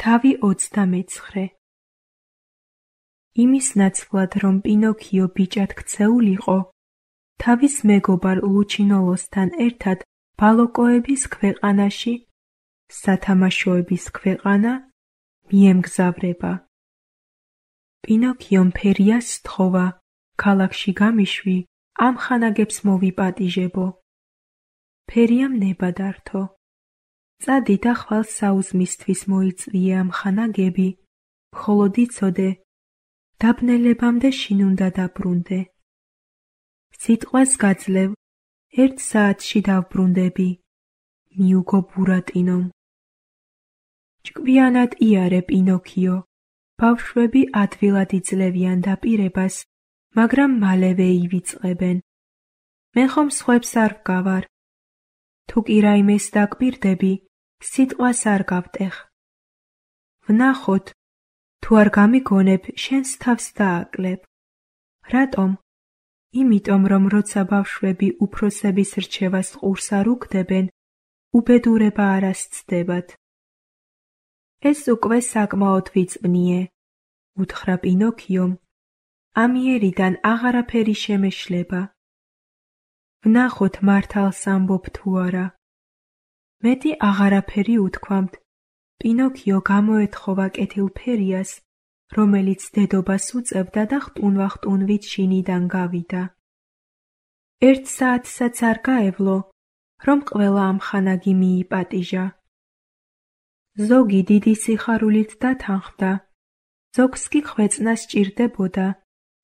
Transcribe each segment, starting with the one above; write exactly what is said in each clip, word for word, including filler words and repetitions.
თავი ოცდამეცხრე. იმის ნაცვლად, რომ პინოქიო ბიჭად ქცეულიყო, თავის მეგობარ ლუჩინოლოსთან ერთად ბალოკოების ქვეყანაში, სათამაშოების ქვეყანა, მიემგზავრება. პინოქიომ ფერიას სთხოვა, ქალაქში გამიშვი, ამ ხანაგებს მოვიპატიჟებო. ფერიამ ნება დართო. წადი და ხვალ საუზმისთვის მოიწვიე ამ ხანაგები, მხოლოდ იცოდე, დაბნელებამდე შინ უნდა დაბრუნდე. სიტყვას გაძლევ, ერთ საათში დავბრუნდები, მიუგო ბურატინომ. ჭკვიანად იარე პინოქიო, ბავშვები ადვილად იძლევიან დაპირებას, მაგრამ მალევე ივიწყებენ. მე ხომ სხვებს არ ვგავარ. თუ კი რაიმეს დაგპირდები, სიტყვას არ გავტეხ. ვნახოთ, თუ არ გამიგონებ, შენს თავს დააკლებ. რატომ? იმიტომ, რომ როცა ბავშვები უფროსების რჩევას ყურს არ უგდებენ, უბედურება არ ასცდებათ. ეს უკვე საკმაოდ ვიწვნიე, უთხრა პინოქიომ. ამიერიდან აღარაფერი შემეშლება. ვნახოთ მართალს ამბობ თუ არა. მეტი აღარაფერი უთქვამთ. პინოქიო გამოეთხოვა კეთილფერიას, რომელიც დედობას უწევდა და ხტუნვა-ხტუნვით შინიდან გავიდა. ერთ საათსაც არ გაევლო, რომ ყველა ამ ხანაგი მიიპატიჟა. ზოგი დიდი სიხარულით დათანხმდა, ზოგს კი ხვეწნა სჭირდებოდა,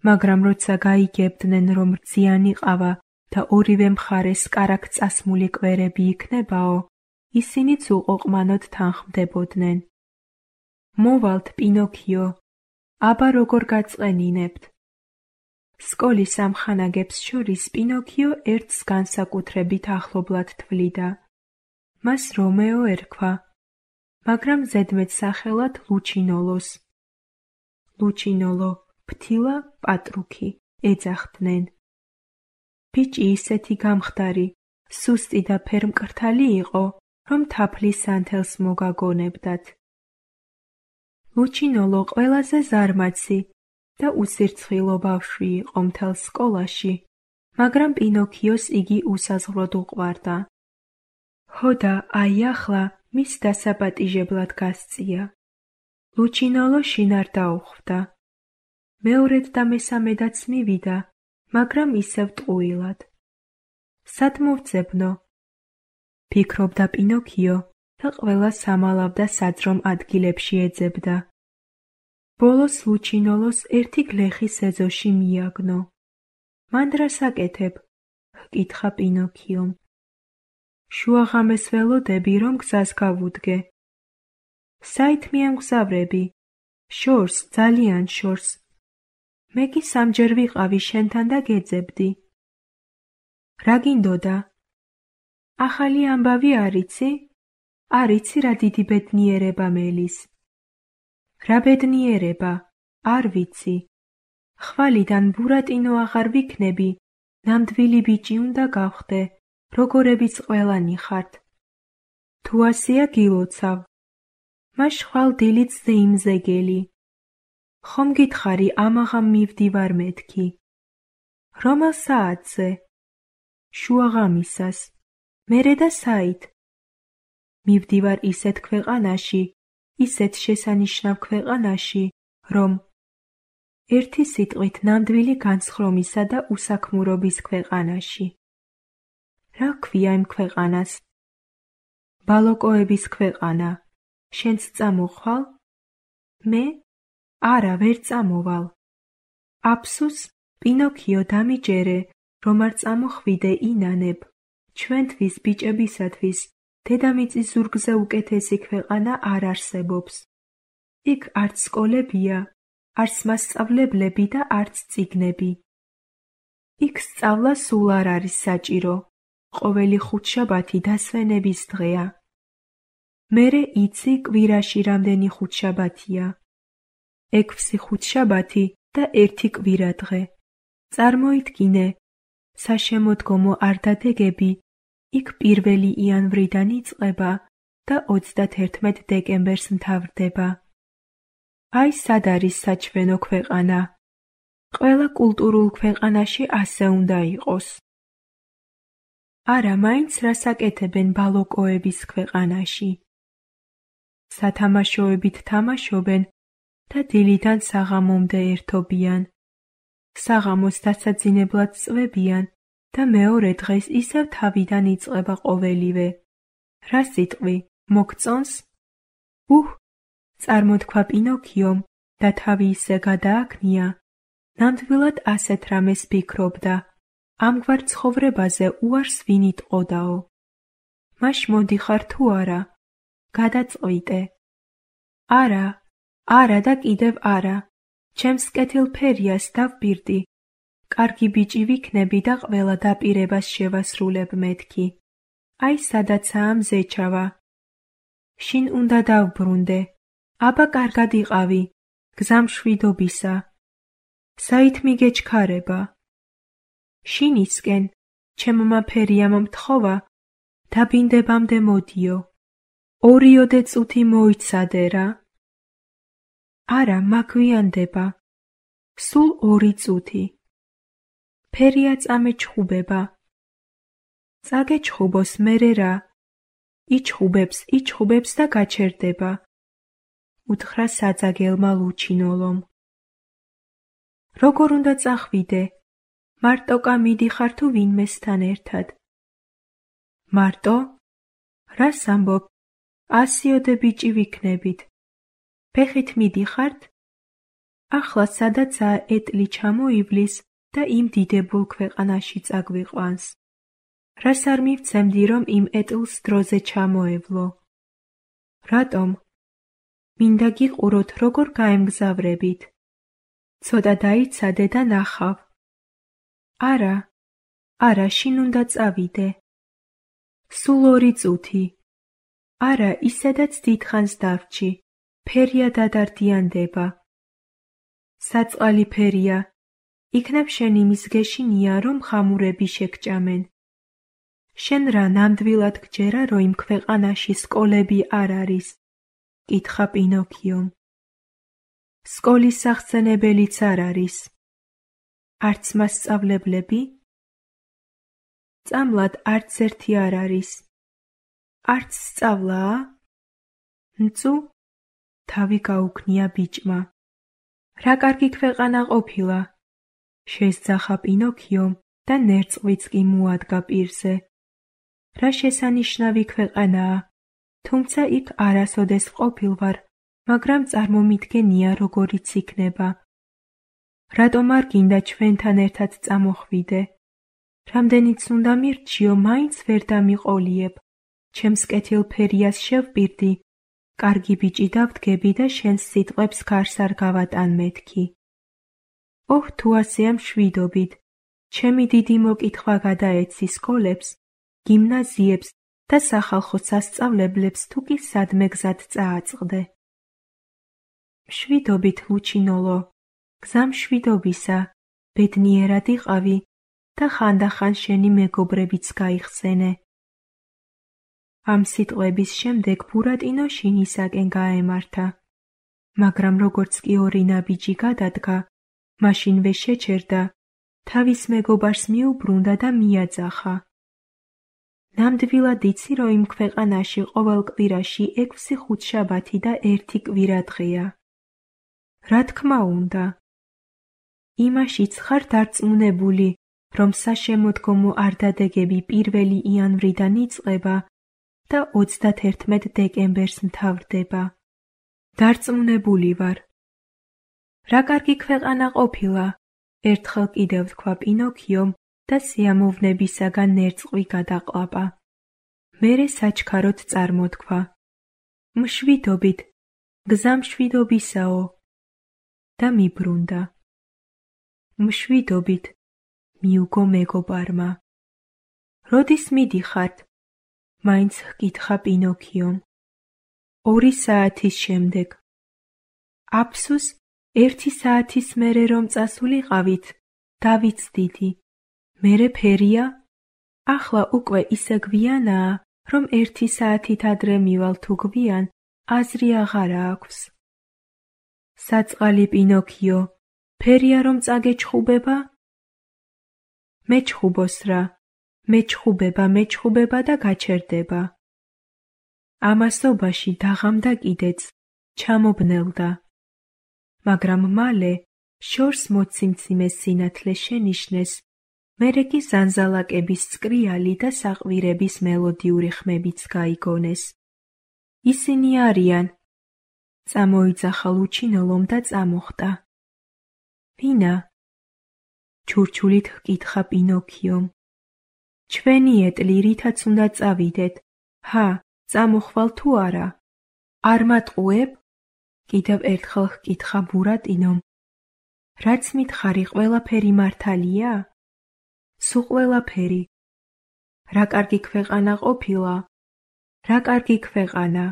მაგრამ როცა გაიგებდნენ, რომ რძიანი ყავა და ორივე მხარეს კარაქ წასმული კვერები იქნებაო, ისინიც უყოყმანოდ თანხმდებოდნენ. მოვალთ, პინოქიო, აბა როგორ გაწყენინებთ. სკოლის ამ ხანაგებს შორის პინოქიო ერთს განსაკუთრებით ახლობლად თვლიდა. მას რომეო ერქვა, მაგრამ ზედმეტსახელად ლუჩინოლოს. ლუჩინოლო, ფთილა, პატრუქი, ეძახდნენ. ბიჭი ისეთი გამხდარი, სუსტი და ფერმკრთალი იყო, რომ თაფლის ანთელს მოგაგონებდათ. ლუჩინოლო ყველაზე ზარმაცი და უსირცხილო ბავშვი იყო მთელ სკოლაში, მაგრამ პინოქიოს იგი უსაზღვროდ უყვარდა. ჰოდა, აი ახლა მის დასაპატიჟებლად გასწია. ლუჩინოლო შინ არ დაუხვდა. მეორედ და მესამედაც მივიდა, მაგრამ ისევ ტყუილად. სად მოვძებნო? ფიქრობდა პინოქიო და ყველა სამალავდა საძრომ ადგილებში ეძებდა. ბოლოს ლუჩინოლოს ერთი გლეხი სეზოში მიაგნო. მან რას აკეთებ? ჰკითხა პინოქიომ. შუაღამეს ველოდები, რომ გზას გავუდგე. საით მიემგზავრები? შორს, ძალიან შორს. მე კი სამჯერ ვიყავი შენთან და გეძებდი. რა გინდოდა? ახალი ამბავი არიცი? არიცი რა დიდი ბედნიერება მელის. რა ბედნიერება? არ ვიცი. ხვალიდან ბურატინო აღარ ვიქნები, ნამდვილი ბიჭი უნდა გავხდე, როგორებიც ყველანი ხართ. თუ ასეა გილოცავ. მაშ ხვალ დილით ზეიმზეგელი. ხომ გითხარი ამაღამ მივდივარ მეთქი. რომელ საათზე? შუაღამისას. მერე და საით? მივდივარ ისეთ ქვეყანაში, ისეთ შესანიშნავ ქვეყანაში, რომ ერთი სიტყვით ნამდვილი განსხრომისა და უსაქმურობის ქვეყანაში. რა ქვია იმ ქვეყანას? ბალოკოების ქვეყანა. შენც წამოხვალ? მე? არა, ვერ წამოვალ. აფსუს, პინოქიო, დამიჯერე, რომ არ წამოხვიდე ინანებ. ჩვენთვის, ბიჭებისათვის, დედამიწის ზურგზე უკეთესი ქვეყანა არ არსებობს. იქ არც სკოლებია, არც მასწავლებლები და არც წიგნები. იქ სწავლა სულ არ არის საჭირო. ყოველი ხუთშაბათი დასვენების დღეა. მერე იცი კვირაში რამდენი ხუთშაბათია. ექვსი ხუთშაბათი და ერთი კვირადღე. წარმოიდგინე, საშემოდგომო არ დადეგები იქ პირველი იანვრიდან იწყება და ოცდათერთმეტ დეკემბერს მთავრდება. აი სად არის საჩვენო ქვეყანა? ყველა კულტურულ ქვეყანაში ასე უნდა იყოს. არა, მაინც რას აკეთებენ ბალოკოების ქვეყანაში? სათამაშოებით თამაშობენ და დილიდან საღამომდე ერთობიან. საღამოს დასაძინებლად წვებიან და მეორე დღეს ისევ თავიდან იწყება ყოველივე. რა სიტყვი, მოგწონს? უჰ, წარმოთქვა პინოქიომ და თავი ისე გადააქნია, ნამდვილად ასეთ რამეს ფიქრობდა. ამგვარ ცხოვრებაზე უარს ვინ იტყოდაო? მაშ მოდიხარ თუ არა? გადაწყვიტე. არა, არა და კიდევ არა. ჩემს კეთილფერიას დავპირდი. კარგი ბიჭი ვიქნები და ყველა დაპირებას შევასრულებ მეთქი. აი სადაცაა მზეჩავა. შინ უნდა დავბრუნდე. აბა კარგად იყავი. გზამშვიდობისა. საით მიგეჩქარება? შინისკენ, ჩემმა ფერიამ მთხოვა, დაბინდებამდე მოდიო. ორიოდე წუთი მოიცადე რა. არა, მაგვიანდება. სულ ორი წუთი. ფერია წამეჩხუბება. წაგეჩხუბოს მერე რა. იჩხუბებს, იჩხუბებს და გაჩერდება. უთხრა საძაგელმა ლუჩინოლომ. როგორ უნდა წახვიდე? მარტოკა მიდიხარ თუ ვინმესთან ერთად? მარტო? რას ამბობ? ასიოდე ბიჭი ვიქნებით. ფეხით მიდიხართ? ახლა სადაცაა ეტლი ჩამოივლის და იმ დიდებულ ქვეყანაში წაგვიყვანს. რას არ მივცემდი, რომ იმ ეტლს დროზე ჩამოევლო? რატომ? მინდა გიყუროთ, როგორ გაემგზავრებით. ცოტა დაიცადე და ნახავ. არა, არა, შინ უნდა წავიდე. სულ ორი წუთი. არა, ისედაც დიდხანს დავრჩი. ფერია დადარდიანდება. საწყალი ფერია. იქნებ შენ იმის გეშინია, რომ ხამურები შეგჭამენ. შენ რა ნამდვილად გჯერა, რომ იმ ქვეყანაში სკოლები არ არის? კითხა პინოქიომ. სკოლის სახსენებელიც არ არის. არც მასწავლებლები? წამლად არც ერთი არ არის. არც სწავლაა? ნწუ? თავი გაუქნია ბიჭმა. რა კარგი ქვეყანა ყოფილა. შესძახა პინოქიომ და ნერწყვიც კი მოადგა პირზე. რა შესანიშნავი ქვეყანაა, თუმცა იქ არასოდეს ყოფილ ვარ, მაგრამ წარმომიდგენია როგორიც იქნება. რატომ არ გინდა ჩვენთან ერთად წამოხვიდე? რამდენიც უნდა მირჩიო, მაინც ვერ დამიყოლიებ. ჩემს კეთილფერიას შევპირდი, კარგი ბიჭი დავდგები და შენს სიტყვებს გარს არ გავატან მეთქი. ოჰ, თუ ასეა მშვიდობით. ჩემი დიდი მოკითხვა გადაეცი სკოლებს, გიმნაზიებს და სახალხო სასწავლებლებს თუ კი სადმე გზად წააწყდე. მშვიდობით, ლუჩინოლო, გზამშვიდობისა, ბედნიერად იყავი და ხანდახან შენი მეგობრებიც გაიხსენე. ამ სიტყვების შემდეგ ბურატინო შინისაკენ გაემართა, მაგრამ როგორც კი ორი ნაბიჯი გადადგა, მაშინვე შეჩერდა, თავის მეგობარს მიუბრუნდა და მიაძახა. ნამდვილად იცი, რომ იმ ქვეყანაში ყოველ კვირაში ექვსი ხუთშაბათი და ერთი კვირადღეა. რა თქმა უნდა. იმაშიც ხარ დარწმუნებული, რომ საშემოდგომო არდადეგები პირველი იანვრიდან იწყება და ოცდათერთმეტ დეკემბერს მთავრდება. დარწმუნებული ვარ. რა კარგი ქვეყანა ყოფილა, ერთხელ კიდევ თქვა პინოქიომ და სიამოვნებისაგან ნერწყვი გადაყლაპა. მერე საჩქაროდ წარმოთქვა. მშვიდობით, გზამშვიდობისაო. და მიბრუნდა. მშვიდობით, მიუგო მეგობარმა. როდის მიდიხართ? მაინც ჰკითხა პინოქიომ. ორი საათის შემდეგ. აფსუს, ერთი საათის მერე რომ წასულიყავით, დავიცდიდი. მერე ფერია? ახლა უკვე ისე გვიანაა, რომ ერთი საათით ადრე მივალ თუ გვიან, აზრი აღარა აქვს. საწყალი პინოქიო, ფერია რომ წაგეჩხუბება? მეჩხუბოს რა, მეჩხუბება, მეჩხუბება და გაჩერდება. ამასობაში დაღამდა კიდეც, ჩამობნელდა. მაგრამ მალე შორს მოციმციმე სინათლე შენიშნეს, მერე კი ზანზალაკების წკრიალი და საყვირების მელოდიური ხმებიც გაიგონეს. ისინი არიან. წამოიძახა ლუჩინოლომ და წამოხტა. ვინა? ჩურჩულით ჰკითხა პინოქიომ. ჩვენი ეტლი, რითაც უნდა წავიდეთ. ჰა, წამოხვალ თუ არა? არ მატყუებ? კიდევ ერთხელ ჰკითხა ბურატინომ. რაც მითხარი ყველაფერი მართალია? სულ ყველაფერი. რა კარგი ქვეყანა ყოფილა? რა კარგი ქვეყანა.